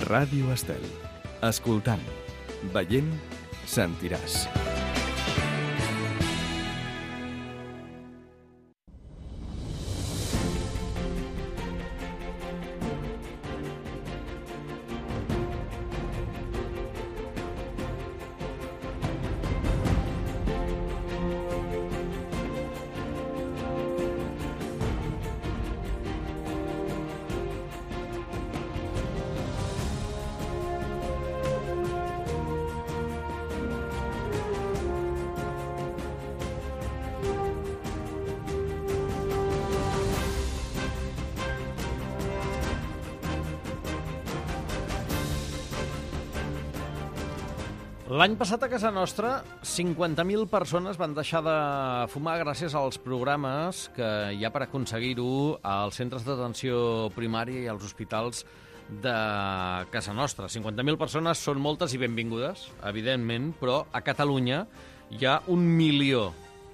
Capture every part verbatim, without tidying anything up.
Ràdio Estel. Escoltant, veient, sentiràs. L'any passat a casa nostra, cinquanta mil persones van deixar de fumar gràcies als programes que hi ha per aconseguir-ho als centres d'atenció primària i als hospitals de casa nostra. cinquanta mil persones són moltes i benvingudes, evidentment, però a Catalunya hi ha un milió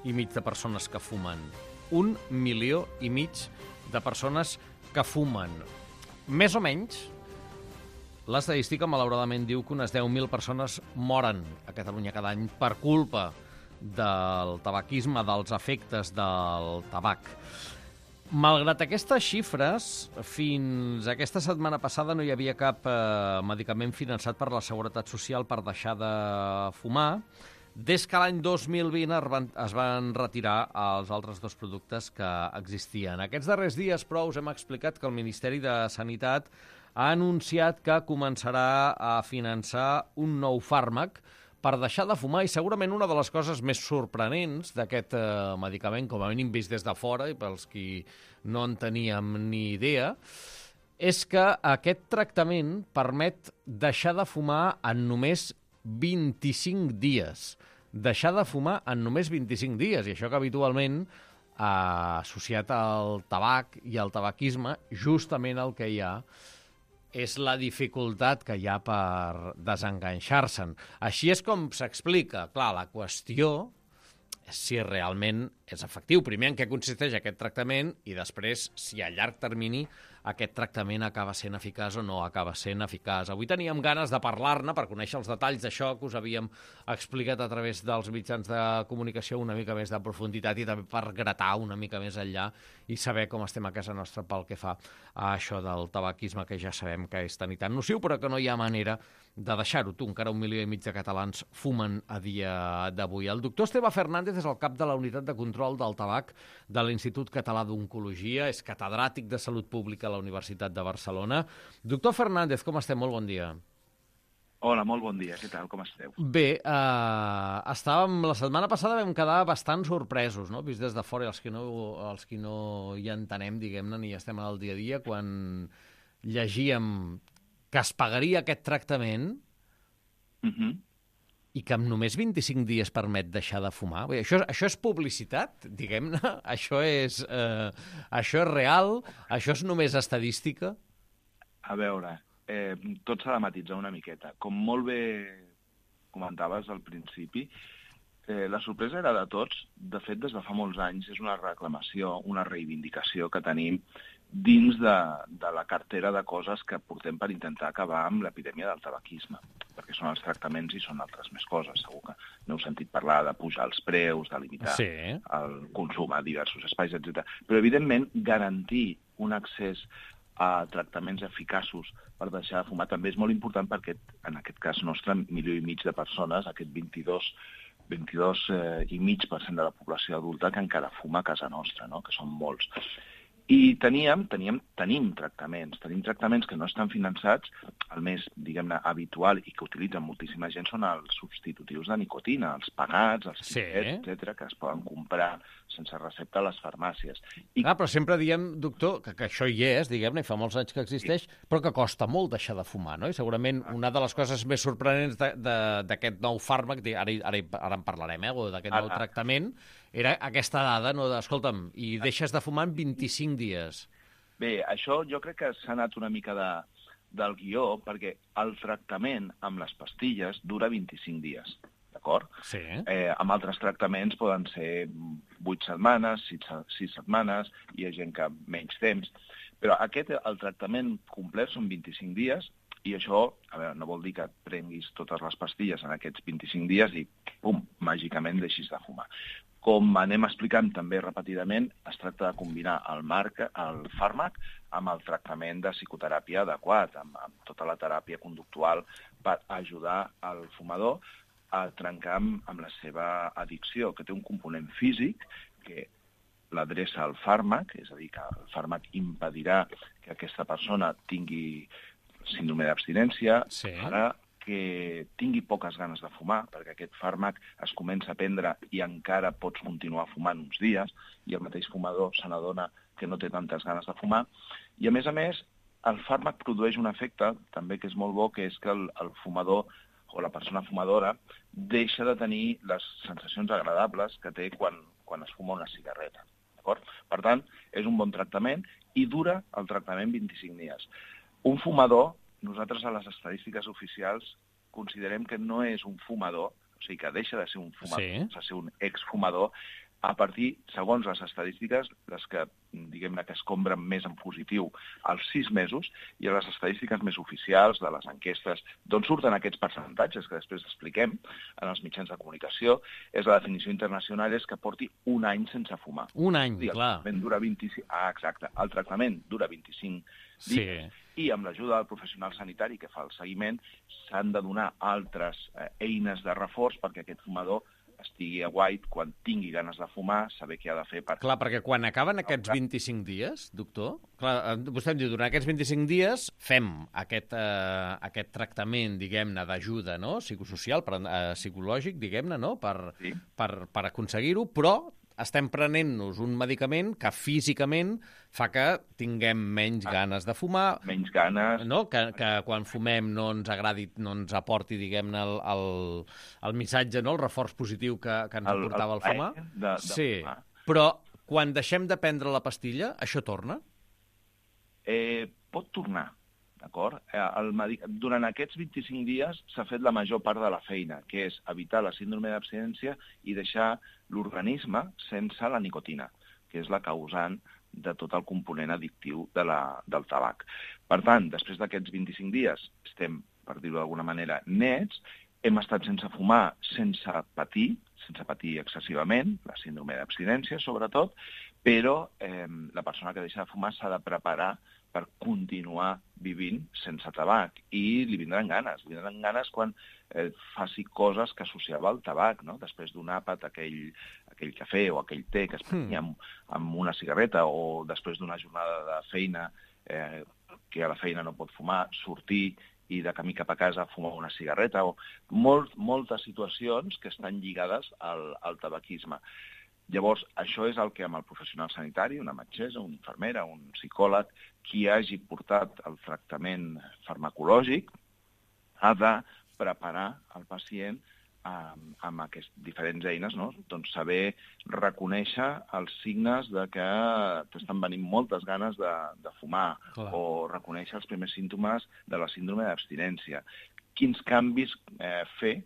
i mig de persones que fumen. Un milió i mig de persones que fumen. Més o menys, l'estadística, malauradament, diu que unes deu mil persones moren a Catalunya cada any per culpa del tabaquisme, dels efectes del tabac. Malgrat aquestes xifres, fins aquesta setmana passada no hi havia cap eh, medicament finançat per la Seguretat Social per deixar de fumar, des que l'any dos mil vint es van, es van retirar els altres dos productes que existien. Aquests darrers dies, però, us hem explicat que el Ministeri de Sanitat ha anunciat que començarà a finançar un nou fàrmac per deixar de fumar, i segurament una de les coses més sorprenents d'aquest eh, medicament, com a mínim vist des de fora, i pels qui no en teníem ni idea, és que aquest tractament permet deixar de fumar en només vint-i-cinc dies. Deixar de fumar en només vint-i-cinc dies, i això que habitualment, eh, associat al tabac i al tabaquisme, justament el que hi ha és la dificultat que hi ha per desenganxar-se'n. Així és com s'explica. Clar, la qüestió és si realment és efectiu. Primer, en què consisteix aquest tractament, i després, si a llarg termini aquest tractament acaba sent eficaç o no acaba sent eficaç. Avui teníem ganes de parlar-ne per conèixer els detalls d'això que us havíem explicat a través dels mitjans de comunicació una mica més de profunditat, i també per gratar una mica més enllà i saber com estem a casa nostra pel que fa a això del tabaquisme, que ja sabem que és tan i tan nociu, però que no hi ha manera de deixar-ho. Tu, encara un milió i mig de catalans fumen a dia d'avui. El doctor Esteve Fernández és el cap de la Unitat de Control del Tabac de l'Institut Català d'Oncologia, és catedràtic de Salut Pública a la Universitat de Barcelona. Doctor Fernández, com estem? Molt bon dia. Hola, molt bon dia. Què tal? Com esteu? Bé, eh, estàvem, la setmana passada vam quedar bastant sorpresos, no? Vist des de fora, els que no, els que no hi entenem, diguem-ne, ni estem al dia a dia, quan llegíem que es pagaria aquest tractament Uh-huh. i que en només vint-i-cinc dies permet deixar de fumar. Bé, això, això és publicitat, diguem-ne? Això és, eh, això és real? Això és només estadística? A veure, eh, tot s'ha de matitzar una miqueta. Com molt bé comentaves al principi, eh, la sorpresa era de tots. De fet, des de fa molts anys és una reclamació, una reivindicació que tenim dins de, de la cartera de coses que portem per intentar acabar amb l'epidèmia del tabaquisme, perquè són els tractaments i són altres més coses. Segur que n'heu sentit parlar de pujar els preus, de limitar sí. el consum a diversos espais, etcètera. Però, evidentment, garantir un accés a tractaments eficaços per deixar de fumar també és molt important, perquè en aquest cas nostre, milió i mig de persones, aquest vint-i-dos vint-i-dos eh, i mig per cent de la població adulta que encara fuma a casa nostra, no? Que són molts. I teníem, teníem, tenim tractaments, tenim tractaments que no estan finançats. El més, diguem-ne, habitual i que utilitzen moltíssima gent són els substitutius de nicotina, els pegats, els sí. xiquets, etcètera, que es poden comprar sense recepta a les farmàcies. I... Ah, però sempre diem, doctor, que, que això hi és, diguem-ne, i fa molts anys que existeix, sí. però que costa molt deixar de fumar, no? I segurament una de les coses més sorprenents d'aquest nou fàrmac, ara, ara, ara en parlarem, eh, o d'aquest nou ah, tractament, era aquesta dada, no, de, escolta'm, i deixes de fumar en vint-i-cinc dies. Bé, això jo crec que s'ha anat una mica de, del guió, perquè el tractament amb les pastilles dura vint-i-cinc dies, d'acord? Sí. Eh, amb altres tractaments poden ser vuit setmanes, sis setmanes, hi ha gent que menys temps, però aquest, el tractament complet són vint-i-cinc dies, I això, a veure, no vol dir que et prenguis totes les pastilles en aquests vint-i-cinc dies i, pum, màgicament deixis de fumar. Com anem explicant també repetidament, es tracta de combinar el, marc, el fàrmac amb el tractament de psicoteràpia adequat, amb, amb tota la teràpia conductual per ajudar al fumador a trencar amb, amb la seva addicció, que té un component físic que l'adreça al fàrmac, és a dir, que el fàrmac impedirà que aquesta persona tingui síndrome d'abstinència, sí. farà que tingui poques ganes de fumar, perquè aquest fàrmac es comença a prendre i encara pots continuar fumant uns dies, i el mateix fumador se n'adona que no té tantes ganes de fumar. I, a més a més, el fàrmac produeix un efecte, també que és molt bo, que és que el, el fumador o la persona fumadora deixa de tenir les sensacions agradables que té quan, quan es fuma una cigarreta. D'acord? Per tant, és un bon tractament i dura el tractament vint-i-cinc dies. Un fumador, nosaltres a les estadístiques oficials considerem que no és un fumador, o sigui que deixa de ser un fumador, sí. de ser un exfumador, a partir, segons les estadístiques, les que, diguem-ne, que es compren més en positiu als sis mesos, i a les estadístiques més oficials de les enquestes, d'on surten aquests percentatges que després expliquem en els mitjans de comunicació, és la definició internacional és que porti un any sense fumar. Un any, sí, el clar. Tractament dura vint-i-cinc... Ah, exacte. El tractament dura vint-i-cinc dies, sí. I amb l'ajuda del professional sanitari que fa el seguiment s'han de donar altres eh, eines de reforç perquè aquest fumador estigui aguait quan tingui ganes de fumar, saber què ha de fer per... Clar, perquè quan acaben aquests vint-i-cinc dies, doctor, clar, vostè em diu, durant aquests vint-i-cinc dies fem aquest, eh, aquest tractament, diguem-ne, d'ajuda, no?, psicosocial, per, eh, psicològic, diguem-ne, no?, per, sí. per, per aconseguir-ho, però estem prenent-nos un medicament que físicament fa que tinguem menys ah, ganes de fumar. Menys ganes. No? Que, que quan fumem no ens agradi, no ens aporti, diguem-ne, el, el, el missatge, no? El reforç positiu que, que ens el, aportava el, el fumar. De, de sí, fumar. Però quan deixem de prendre la pastilla, això torna? Eh, pot tornar. D'acord? El medic... Durant aquests vint-i-cinc dies s'ha fet la major part de la feina, que és evitar la síndrome d'abstinència i deixar l'organisme sense la nicotina, que és la causant de tot el component addictiu de la, del tabac. Per tant, després d'aquests vint-i-cinc dies estem, per dir-ho d'alguna manera, nets, hem estat sense fumar, sense patir, sense patir excessivament, la síndrome d'abstinència sobretot, però eh, la persona que deixa de fumar s'ha de preparar per continuar vivint sense tabac. I li vindran ganes. Li vindran ganes quan eh, faci coses que associava al tabac, no? Després d'un àpat, aquell, aquell cafè o aquell te que es prenia amb, amb una cigarreta, o després d'una jornada de feina eh, que a la feina no pot fumar, sortir i de camí cap a casa fumar una cigarreta, o molt, moltes situacions que estan lligades al, al tabaquisme. Llavors, això és el que amb el professional sanitari, una metgessa, una infermera, un psicòleg, qui hagi portat el tractament farmacològic, ha de preparar el pacient amb, amb aquestes diferents eines, no? Doncs saber reconèixer els signes de que t'estan venint moltes ganes de, de fumar, clar, o reconèixer els primers símptomes de la síndrome d'abstinència. Quins canvis eh, fer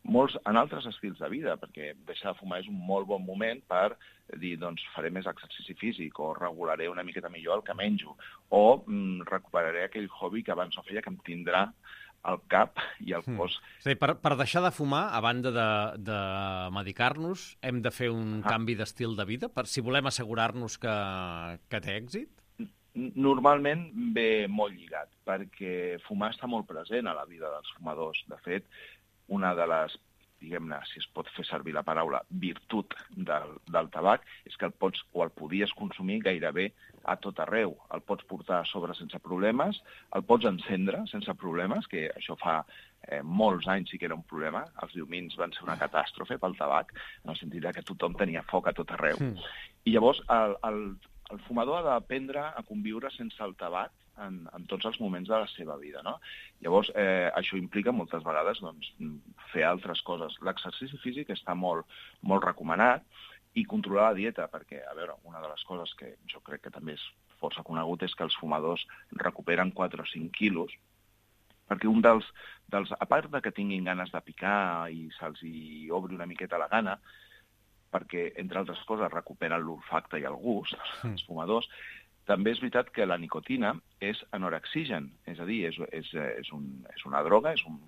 molts en altres estils de vida, perquè deixar de fumar és un molt bon moment per dir, doncs, faré més exercici físic, o regularé una miqueta millor el que menjo, o mm, recuperaré aquell hobby que abans no feia, que em tindrà al cap i al cos. Mm. Sí, per, per deixar de fumar, a banda de, de medicar-nos, hem de fer un ah. canvi d'estil de vida, per si volem assegurar-nos que, que té èxit? Normalment ve molt lligat, perquè fumar està molt present a la vida dels fumadors. De fet, una de les, diguem-ne, si es pot fer servir la paraula, virtut del, del tabac, és que el pots o el podies consumir gairebé a tot arreu. El pots portar a sobre sense problemes, el pots encendre sense problemes, que això fa eh, molts anys sí que era un problema. Els diumins van ser una catàstrofe pel tabac, en el sentit que tothom tenia foc a tot arreu. Mm. I llavors el, el, el fumador ha d'aprendre a conviure sense el tabac En, en tots els moments de la seva vida, no? Llavors, eh, això implica moltes vegades doncs, fer altres coses. L'exercici físic està molt, molt recomanat, i controlar la dieta, perquè, a veure, una de les coses que jo crec que també és força conegut és que els fumadors recuperen quatre o cinc quilos, perquè un dels, dels a part de que tinguin ganes de picar i se'ls hi obri una miqueta la gana, perquè, entre altres coses, recuperen l'olfacte i el gust, els fumadors, També és veritat que la nicotina és anorexigen, és a dir, és, és, és, un, és una droga, és un,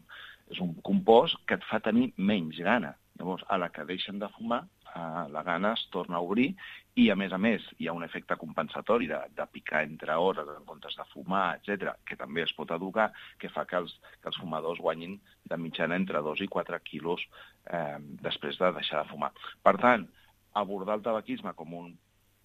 és un compost que et fa tenir menys gana. Llavors, a la que deixen de fumar, eh, la gana es torna a obrir i, a més a més, hi ha un efecte compensatori de, de picar entre hores en comptes de fumar, etcètera, que també es pot educar, que fa que els, que els fumadors guanyin de mitjana entre dos i quatre quilos eh, després de deixar de fumar. Per tant, abordar el tabaquisme com un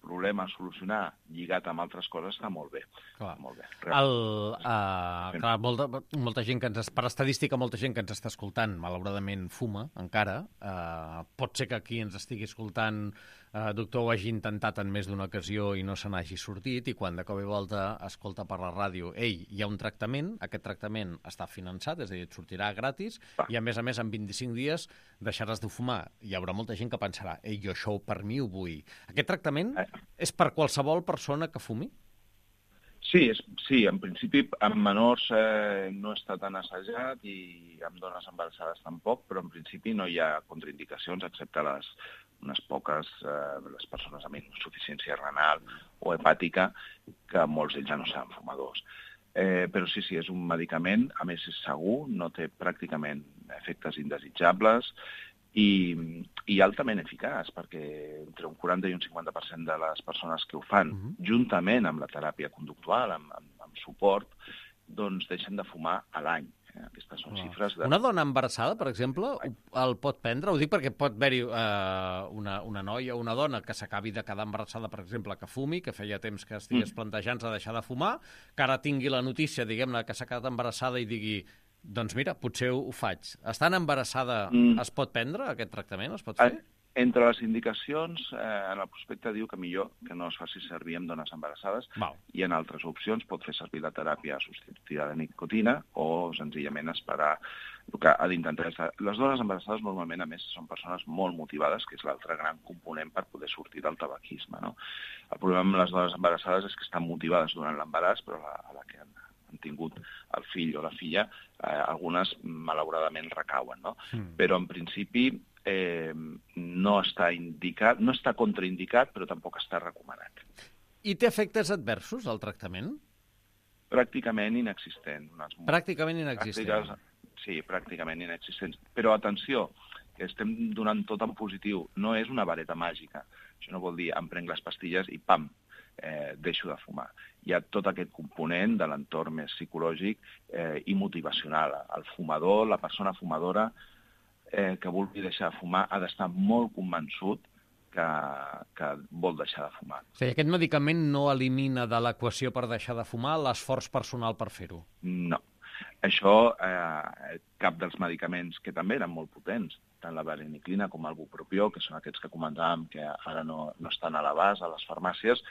problema a solucionar lligat amb altres coses està molt bé. Clar. Molt bé. El, uh, clar, molta, molta gent que ens, per estadística, molta gent que ens està escoltant, malauradament, fuma encara. Uh, pot ser que aquí ens estigui escoltant uh, doctor ho hagi intentat en més d'una ocasió i no se n'hagi sortit, i quan de cop i volta escolta per la ràdio, ei, hi ha un tractament, aquest tractament està finançat, és a dir, et sortirà gratis, Va. i a més a més en vint-i-cinc dies deixaràs de fumar. Hi haurà molta gent que pensarà, ei, jo això per mi ho vull. Aquest tractament Eh. és per qualsevol persona que fumi? Sí, és, sí, en principi amb menors eh, no està tan assajat i amb dones embarassades tampoc, però en principi no hi ha contraindicacions excepte les unes poques, eh, les persones amb insuficiència renal o hepàtica, que molts d'ells ja no seran fumadors. Eh, però sí, sí, és un medicament, a més és segur, no té pràcticament efectes indesitjables i, i altament eficaç, perquè entre un quaranta i un cinquanta per cent de les persones que ho fan, uh-huh. juntament amb la teràpia conductual, amb, amb, amb suport, doncs deixen de fumar a l'any. Eh? Aquestes són Wow. xifres de... Una dona embarassada, per exemple, el pot prendre? Ho dic perquè pot haver-hi eh, una, una noia o una dona que s'acabi de quedar embarassada, per exemple, que fumi, que feia temps que estigués mm. plantejant-se deixar de fumar, que ara tingui la notícia, diguem-ne, que s'ha quedat embarassada i digui doncs mira, potser ho faig. Estant embarassada, mm. es pot prendre aquest tractament? Es pot fer? Entre les indicacions, eh, en el prospecte diu que millor que no es faci servir amb dones embarassades. Val. I en altres opcions pot fer servir la teràpia substitutiva de nicotina o senzillament esperar el que ha d'intentar. Les dones embarassades normalment, a més, són persones molt motivades, que és l'altre gran component per poder sortir del tabaquisme. No? El problema amb les dones embarassades és que estan motivades durant l'embaràs, però a la, a la que han han tingut el fill o la filla, eh, algunes malauradament recauen, no? Mm. Però en principi eh, no està indicat, no està contraindicat, però tampoc està recomanat. I té efectes adversos, el tractament? Pràcticament inexistent. Pràcticament inexistent. Pràctiques, sí, pràcticament inexistents. Però atenció, que estem donant tot en positiu. No és una vareta màgica. Això no vol dir em prenc les pastilles i pam, eh, deixo de fumar. Hi ha tot aquest component de l'entorn més psicològic eh, i motivacional. El fumador, la persona fumadora eh, que vulgui deixar de fumar ha d'estar molt convençut que, que vol deixar de fumar. O sigui, aquest medicament no elimina de l'equació per deixar de fumar l'esforç personal per fer-ho? No. Això, eh, cap dels medicaments que també eren molt potents, tant la vareniclina com el bupropió, que són aquests que comentàvem que ara no, no estan a l'abast a les farmàcies,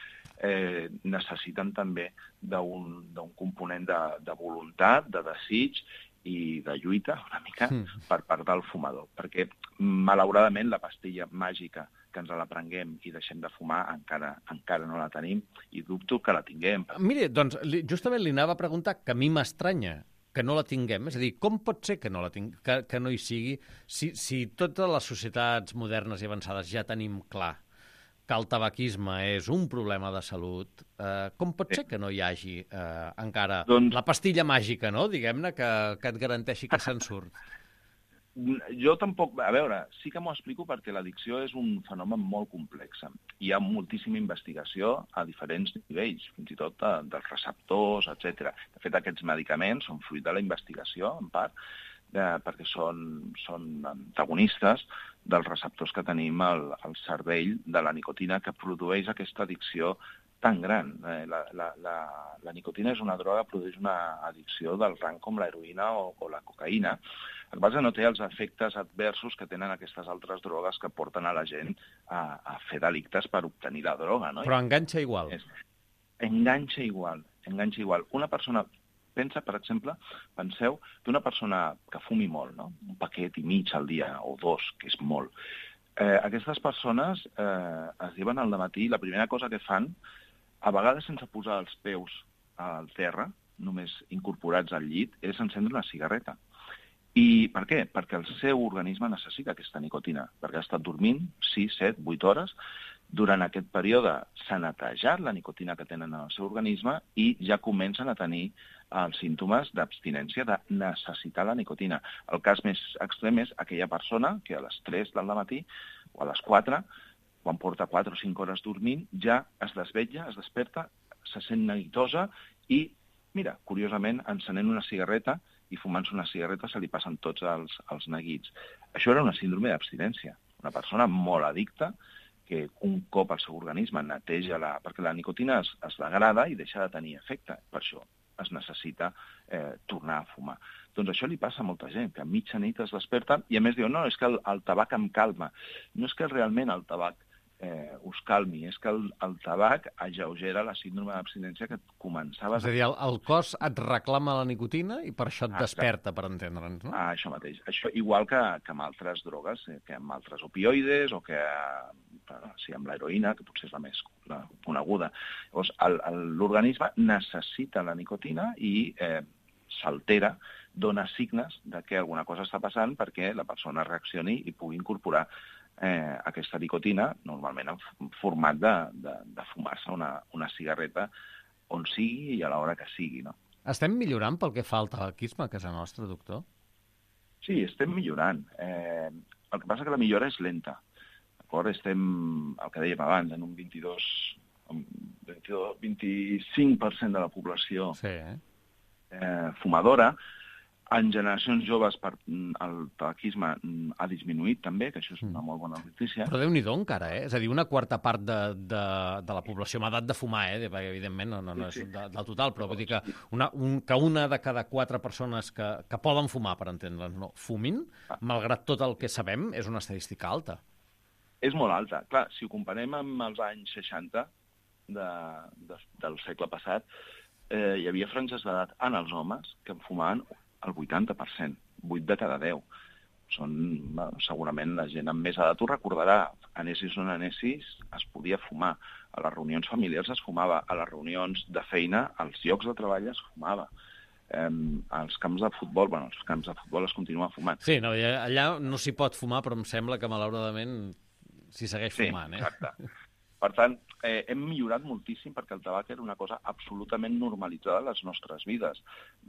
eh, necessiten també d'un component de, de voluntat, de desig i de lluita, una mica, mm. per part del fumador. Perquè, malauradament, la pastilla màgica que ens la prenguem i deixem de fumar encara, encara no la tenim i dubto que la tinguem. Mire, doncs, justament li anava a preguntar que a mi m'estranya que no la tinguem. És a dir, com pot ser que no, la ting... que, que no hi sigui si, si totes les societats modernes i avançades ja tenim clar que el tabaquisme és un problema de salut, eh, com pot ser que no hi hagi eh, encara doncs... la pastilla màgica, no? Diguem-ne, que, que et garanteixi que se'n surt? Jo tampoc... A veure, sí que m'ho explico perquè l'addicció és un fenomen molt complex. Hi ha moltíssima investigació a diferents nivells, fins i tot de, dels receptors, etcètera. De fet, aquests medicaments són fruit de la investigació, en part, de, perquè són, són antagonistes dels receptors que tenim al, al cervell de la nicotina que produeix aquesta addicció tan gran. La, la, la, la nicotina és una droga que produeix una addicció del rang com l'heroïna o, o la cocaïna. El que passa no té els efectes adversos que tenen aquestes altres drogues que porten a la gent a, a fer delictes per obtenir la droga. No? Però enganxa igual. És, enganxa igual, enganxa igual. Una persona... Pensa, per exemple, penseu d'una persona que fumi molt, no? Un paquet i mig al dia, o dos, que és molt. Eh, aquestes persones eh, es lleven al dematí i la primera cosa que fan, a vegades sense posar els peus al terra, només incorporats al llit, és encendre una cigarreta. I per què? Perquè el seu organisme necessita aquesta nicotina, perquè ha estat dormint sis, set, vuit hores Durant aquest període s'ha netejat la nicotina que tenen en el seu organisme i ja comencen a tenir els símptomes d'abstinència, de necessitar la nicotina. El cas més extrem és aquella persona que a les tres del matí o a les quatre, quan porta quatre o cinc hores dormint, ja es desvetlla, es desperta, se sent neguitosa i, mira, curiosament, encenent una cigarreta i fumant-se una cigarreta se li passen tots els, els neguits. Això era una síndrome d'abstinència. Una persona molt addicta que un cop el seu organisme neteja la... perquè la nicotina es, es degrada i deixa de tenir efecte. Per això es necessita eh, tornar a fumar. Doncs això li passa a molta gent, que a mitja nit es desperta i a més diu, no, és que el, el tabac em calma. No és que realment el tabac eh, us calmi, és que el, el tabac ageugera la síndrome d'abstinència que començaves... És a dir, el, el cos et reclama la nicotina i per això et ah, desperta, per entendre'ns, no? Ah, això mateix. Això igual que, que amb altres drogues, eh, que amb altres opioides o que sí, amb l'heroïna, que potser és la més la coneguda. Llavors, l'organisme necessita la nicotina i eh, s'altera, dona signes de que alguna cosa està passant perquè la persona reaccioni i pugui incorporar eh, aquesta nicotina, normalment en format de, de, de fumar-se una, una cigarreta on sigui i a l'hora que sigui, no? Estem millorant pel que fa al tabaquisme a casa nostra, doctor? Sí, estem millorant. Eh, el que passa que la millora és lenta. D'acord? Estem, el que dèiem abans, en un vint-i-dos, vint-i-dos, vint-i-cinc per cent de la població sí, eh? Eh, fumadora. En generacions joves per, el tabaquisme ha disminuït també, que això és una molt bona notícia. Però Déu-n'hi-do encara, eh? És a dir, una quarta part de, de, de la població amb edat de fumar, eh? Perquè, evidentment, no, no, no és de, del total, però vull dir que una, un, que una de cada quatre persones que, que poden fumar, per entendre'ns, no, fumin, malgrat tot el que sabem, és una estadística alta. És molt alta. Clar, si ho comparem amb els anys seixanta de, de, del segle passat, eh, hi havia franges d'edat en els homes que en fumaven el vuitanta per cent, vuit de cada deu. Són, bueno, segurament la gent amb més edat ho recordarà. Anessis o no anessis, es podia fumar. A les reunions familiars es fumava. A les reunions de feina, als llocs de treball es fumava. Eh, als camps de futbol, bueno, als camps de futbol es continua fumant. Sí, no, allà no s'hi pot fumar, però em sembla que malauradament s'hi segueix fumant. Sí, eh? exacte. Per tant, eh, hem millorat moltíssim perquè el tabac era una cosa absolutament normalitzada a les nostres vides.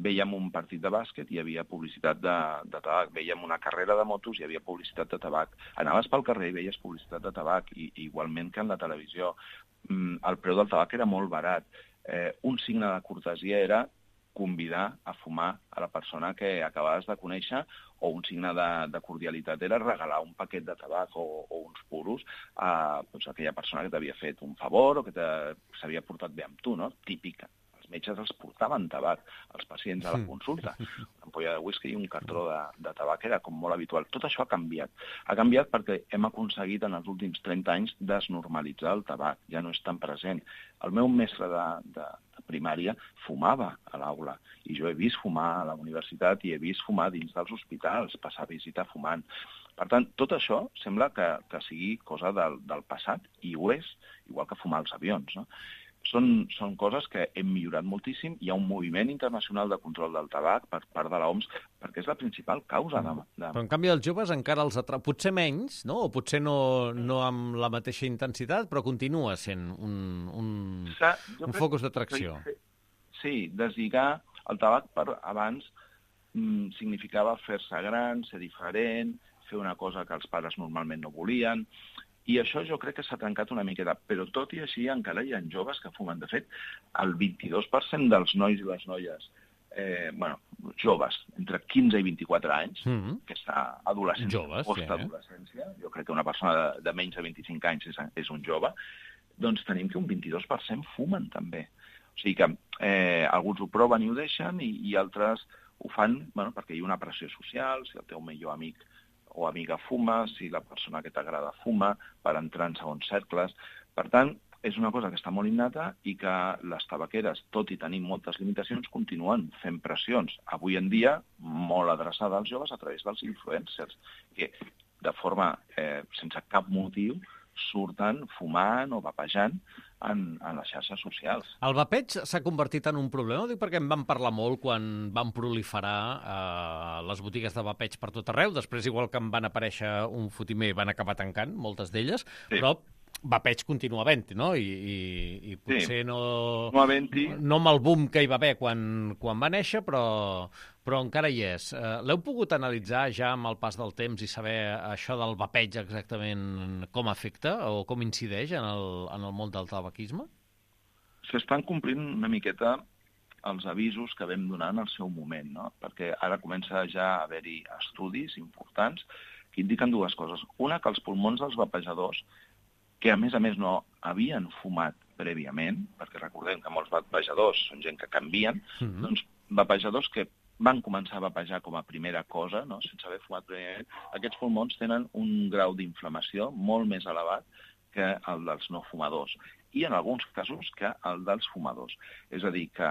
Vèiem un partit de bàsquet, hi havia publicitat de, de tabac. Vèiem una carrera de motos, hi havia publicitat de tabac. Anaves pel carrer i veies publicitat de tabac, i, igualment que en la televisió. Mm, el preu del tabac era molt barat. Eh, un signe de cortesia era convidar a fumar a la persona que acabaves de conèixer, o un signe de, de cordialitat era regalar un paquet de tabac o, o uns puros a, doncs, a aquella persona que t'havia fet un favor o que s'havia portat bé amb tu, no? Típica. Els metges els portaven tabac als pacients a la consulta. Una ampolla de whisky i un cartró de, de tabac era com molt habitual. Tot això ha canviat. Ha canviat perquè hem aconseguit en els últims trenta anys desnormalitzar el tabac. Ja no és tan present. El meu mestre de, de, de primària fumava a l'aula i jo he vist fumar a la universitat i he vist fumar dins dels hospitals, passar a visita fumant. Per tant, tot això sembla que, que sigui cosa del, del passat i ho és, igual que fumar als avions, no? Són, són coses que hem millorat moltíssim. Hi ha un moviment internacional de control del tabac per part de l'O M S, perquè és la principal causa de... de... Però en canvi els joves encara els atrau... Potser menys, no? O potser no, no amb la mateixa intensitat, però continua sent un, un, un focus d'atracció. Sí, deslligar el tabac per abans mm, significava fer-se gran, ser diferent, fer una cosa que els pares normalment no volien. I això jo crec que s'ha trencat una miqueta, però tot i així encara hi ha joves que fumen. De fet, el vint-i-dos per cent dels nois i les noies, eh, bueno, joves, entre quinze i vint-i-quatre anys, mm-hmm. que està adolescència, joves, postadolescència, sí, eh? Jo crec que una persona de, de menys de vint-i-cinc anys és, és un jove, doncs tenim que un vint-i-dos per cent fumen també. O sigui que eh, alguns ho proven i ho deixen, i, i altres ho fan, bueno, perquè hi ha una pressió social, si el teu millor amic o amiga fuma, si la persona que t'agrada fuma, per entrar en segons cercles. Per tant, és una cosa que està molt innata i que les tabaqueres, tot i tenir moltes limitacions, continuen fent pressions. Avui en dia, molt adreçada als joves a través dels influencers, que de forma, eh, sense cap motiu, surten fumant o vapejant en, en les xarxes socials. El vapeig s'ha convertit en un problema? Ho dic perquè en vam parlar molt quan van proliferar eh, les botigues de vapeig per tot arreu. Després, igual que en van aparèixer un fotimer, van acabar tancant, moltes d'elles. Sí. Però vapeig continua havent-hi, no? I, i, i potser sí. no... No havent-hi... No amb el boom que hi va haver quan, quan va néixer, però, però encara hi és. Uh, L'heu pogut analitzar ja amb el pas del temps i saber això del vapeig exactament com afecta o com incideix en el, en el món del tabaquisme? S'estan complint una miqueta els avisos que vam donar en el seu moment, no? Perquè ara comença ja a haver-hi estudis importants que indiquen dues coses. Una, que els pulmons dels vapejadors, que a més a més no havien fumat prèviament, perquè recordem que molts vapejadors són gent que canvien, mm-hmm. doncs vapejadors que van començar a vapejar com a primera cosa, no? Sense haver fumat prèviament, aquests pulmons tenen un grau d'inflamació molt més elevat que el dels no fumadors, i en alguns casos que el dels fumadors. És a dir, que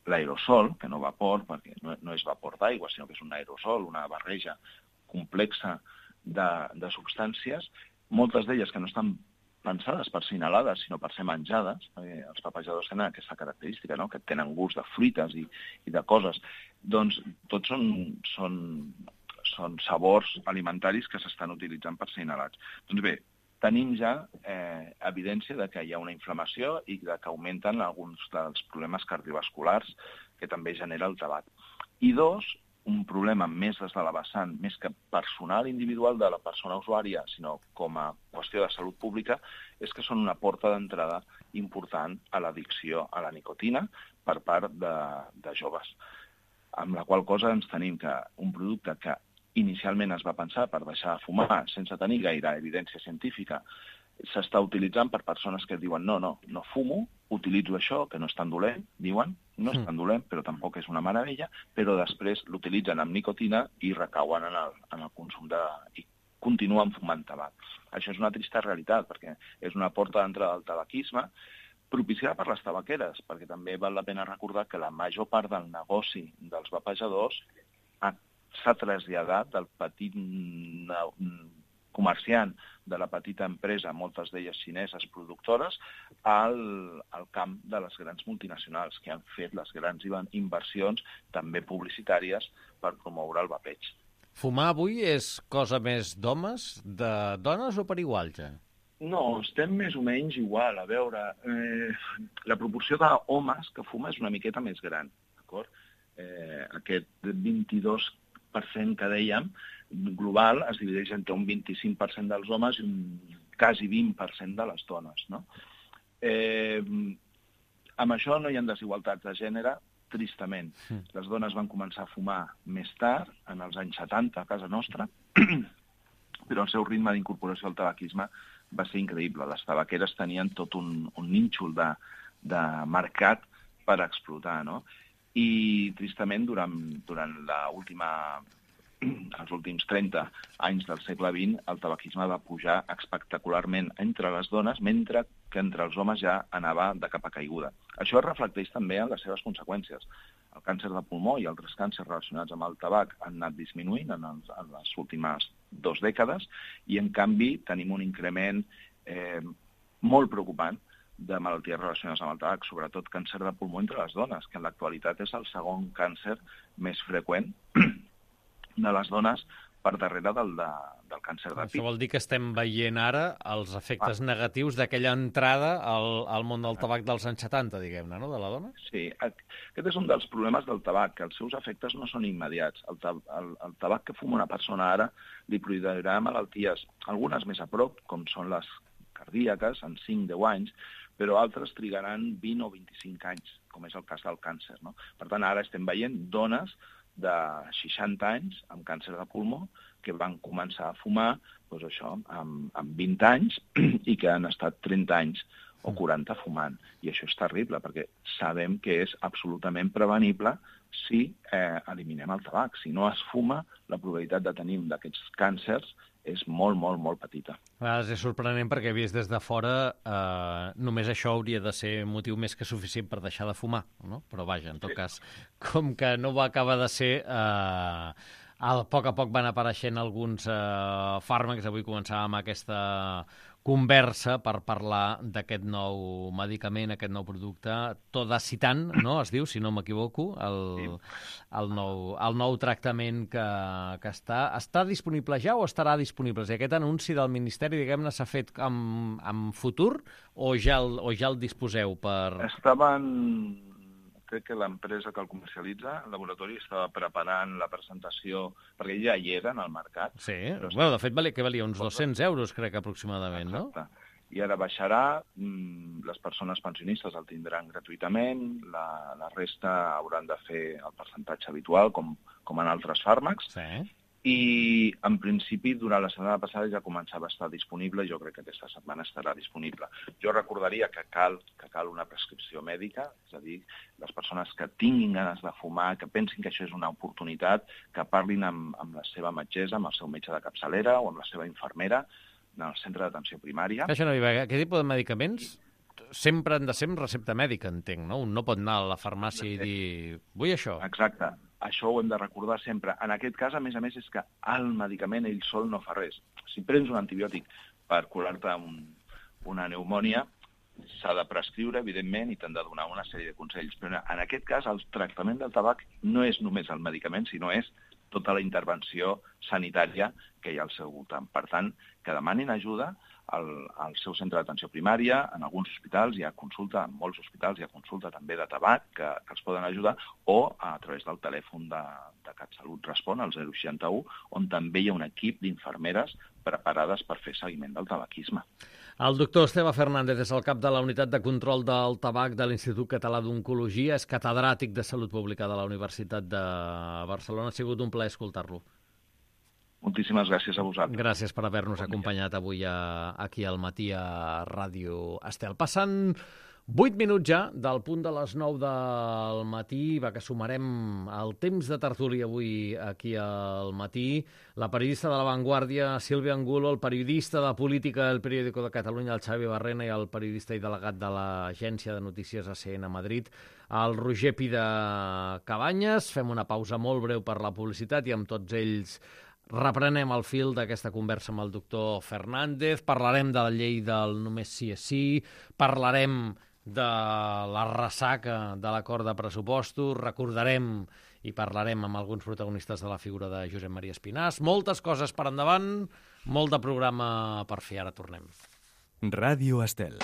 l'aerosol, que no vapor, perquè no, no és vapor d'aigua, sinó que és un aerosol, una barreja complexa de, de substàncies, moltes d'elles que no estan pensades per ser inhalades, sinó per ser menjades, perquè els vapejadors tenen aquesta característica, no? Que tenen gust de fruites i, i de coses, doncs tots són, són, són sabors alimentaris que s'estan utilitzant per ser inhalats. Doncs bé, tenim ja eh, evidència de que hi ha una inflamació i de que augmenten alguns dels problemes cardiovasculars que també genera el tabac. I dos, un problema més des de la vessant, més que personal individual de la persona usuària, sinó com a qüestió de salut pública, és que són una porta d'entrada important a l'addicció a la nicotina per part de, de joves. Amb la qual cosa ens tenim que un producte que inicialment es va pensar per deixar de fumar sense tenir gaire evidència científica, s'està utilitzant per persones que diuen no, no, no fumo, utilitzo això, que no és tan dolent, diuen, no és tan dolent, però tampoc és una meravella, però després l'utilitzen amb nicotina i recauen en el, en el consum de... i continuen fumant tabac. Això és una trista realitat, perquè és una porta d'entrada al tabaquisme, propiciada per les tabaqueres, perquè també val la pena recordar que la major part del negoci dels vapejadors s'ha traslladat del petit comerciant, de la petita empresa, moltes d'elles xineses productores, al, al camp de les grans multinacionals, que han fet les grans inversions, també publicitàries, per promoure el vapeig. Fumar avui és cosa més d'homes, de dones o per igual, ja? No, estem més o menys igual. A veure, eh, la proporció d'homes que fuma és una miqueta més gran, d'acord? Eh, aquest vint-i-dos per cent que dèiem, global, es divideix entre un vint-i-cinc per cent dels homes i un quasi vint per cent de les dones, no? Eh, amb això no hi ha desigualtats de gènere, tristament. Les dones van començar a fumar més tard, en els anys setanta, a casa nostra, però el seu ritme d'incorporació al tabaquisme va ser increïble. Les tabaqueres tenien tot un, un nínxol de, de mercat per explotar, no? I, tristament, durant, durant la última, els últims trenta anys del segle vint, el tabaquisme va pujar espectacularment entre les dones, mentre que entre els homes ja anava de capa caiguda. Això es reflecteix també en les seves conseqüències. El càncer de pulmó i altres càncers relacionats amb el tabac han anat disminuint en, els, en les últimes dues dècades i, en canvi, tenim un increment eh, molt preocupant de malalties relacionades amb el tabac, sobretot càncer de pulmó entre les dones, que en l'actualitat és el segon càncer més freqüent de les dones per darrere del, de, del càncer de pit. Això vol dir que estem veient ara els efectes ah. negatius d'aquella entrada al, al món del tabac dels anys setanta, diguem-ne, no?, de la dona? Sí, aquest és un dels problemes del tabac, que els seus efectes no són immediats. El, el, el tabac que fuma una persona ara li produirà malalties, algunes més a prop, com són les cardíaques, en cinc a deu anys, però altres trigaran vint o vint-i-cinc anys, com és el cas del càncer, no? Per tant, ara estem veient dones de seixanta anys amb càncer de pulmó que van començar a fumar doncs això, amb, amb vint anys i que han estat trenta anys o quaranta fumant. I això és terrible, perquè sabem que és absolutament prevenible si eh, eliminem el tabac. Si no es fuma, la probabilitat de tenir un d'aquests càncers és molt, molt, molt petita. A vegades és sorprenent perquè, vist des de fora, eh, només això hauria de ser motiu més que suficient per deixar de fumar, no? Però vaja, en tot sí. cas, com que no va acabar de ser... Eh, a poc a poc van apareixent alguns eh, fàrmacs. Avui començàvem aquesta conversa per parlar d'aquest nou medicament, aquest nou producte, Todacitan, no? Es diu, si no m'equivoco, el, sí. el, nou, el nou tractament que, que està. Està disponible ja o estarà disponible? Si aquest anunci del Ministeri, diguem-ne, s'ha fet en, en futur o ja, el, o ja el disposeu per... Estaven... Crec que l'empresa que el comercialitza, el laboratori, estava preparant la presentació, perquè ja hi era en el mercat. Sí, bueno, de fet, valia, que valia uns dos-cents euros, crec, aproximadament, no? Exacte. I ara baixarà, les persones pensionistes el tindran gratuïtament, la, la resta hauran de fer el percentatge habitual, com, com en altres fàrmacs. Sí. I, en principi, durant la setmana passada ja començava a estar disponible i jo crec que aquesta setmana estarà disponible. Jo recordaria que cal, que cal una prescripció mèdica, és a dir, les persones que tinguin ganes de fumar, que pensin que això és una oportunitat, que parlin amb, amb la seva metgessa, amb el seu metge de capçalera o amb la seva infermera en el centre d'atenció primària. Això no hi va. Aquest tipus de medicaments sempre han de ser amb recepta mèdica, entenc, no? Un no pot anar a la farmàcia i dir, vull això. Exacte. Això ho hem de recordar sempre. En aquest cas, a més a més, és que el medicament ell sol no fa res. Si prens un antibiòtic per curar-te un, una pneumònia, s'ha de prescriure, evidentment, i t'han de donar una sèrie de consells. Però en aquest cas, el tractament del tabac no és només el medicament, sinó és tota la intervenció sanitària que hi ha al seu voltant. Per tant, que demanin ajuda al, al seu centre d'atenció primària, en alguns hospitals hi ha consulta, en molts hospitals hi ha consulta també de tabac que, que els poden ajudar, o a través del telèfon de, de CatSalut Respon, el zero seixanta u, on també hi ha un equip d'infermeres preparades per fer seguiment del tabaquisme. El doctor Esteve Fernández és el cap de la Unitat de Control del Tabac de l'Institut Català d'Oncologia, és catedràtic de Salut Pública de la Universitat de Barcelona. Ha sigut un plaer escoltar-lo. Moltíssimes gràcies a vosaltres. Gràcies per haver-nos acompanyat avui a, aquí al matí a Ràdio Estel. Passant vuit minuts ja del punt de les nou del matí, va que sumarem el temps de tertúlia avui aquí al matí. La periodista de La Vanguardia, Sílvia Angulo, el periodista de política del Periódico de Catalunya, el Xavi Barrena, i el periodista i delegat de l'agència de notícies A C N a Madrid, el Roger Pida Cabanyes. Fem una pausa molt breu per la publicitat i amb tots ells reprenem el fil d'aquesta conversa amb el doctor Fernández, parlarem de la llei del només sí és sí, parlarem de la ressaca de l'acord de pressupostos, recordarem i parlarem amb alguns protagonistes de la figura de Josep Maria Espinàs. Moltes coses per endavant, molt de programa per fer. Ara tornem. Ràdio Estel.